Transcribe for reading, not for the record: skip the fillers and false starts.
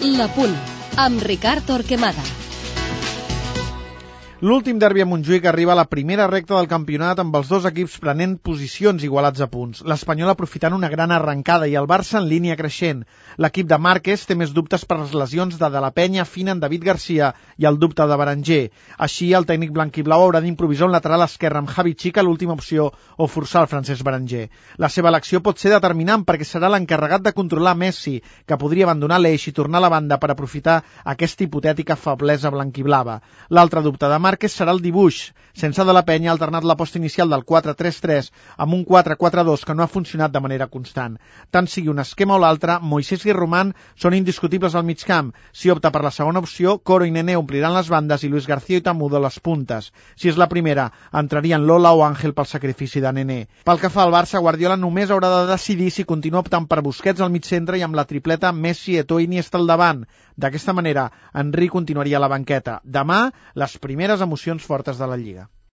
La Punt, amb Ricard Torquemada. L'últim derbi a Montjuïc arriba a la primera recta del campionat amb els dos equips prenent posicions igualats a punts. L'Espanyol aprofitant una gran arrencada i el Barça en línia creixent. L'equip de Márquez té més dubtes per les lesions de la Penya, Fina, en David Garcia i el dubte de Berenguer. Així, el tècnic blanquiblau haurà d'improvisar un lateral esquerre amb Javi Chica, l'última opció, o forçar el Francesc Berenguer. La seva elecció pot ser determinant perquè serà l'encarregat de controlar Messi, que podria abandonar l'eix i tornar a la banda per aprofitar aquesta hipotètica feblesa blanquiblava. L'altre dubte de Márquez serà el dibuix. Sense de la Penya ha alternat l'aposta inicial del 4-3-3 amb un 4-4-2 que no ha funcionat de manera constant. Tant sigui un esquema o l'altre, Moisés i Román són indiscutibles al migcamp. Si opta per la segona opció, Coro i Nené ompliran les bandes i Luis García i Tamudo les puntes. Si és la primera, entrarien Lola o Ángel pel sacrifici de Nené. Pel que fa al Barça, Guardiola només haurà de decidir si continua optant per Busquets al mig-centre i amb la tripleta Messi, Eto'o i Iniesta al davant. D'aquesta manera, Henry continuaria a la banqueta. Demà, les primeres emocions fortes de la Lliga.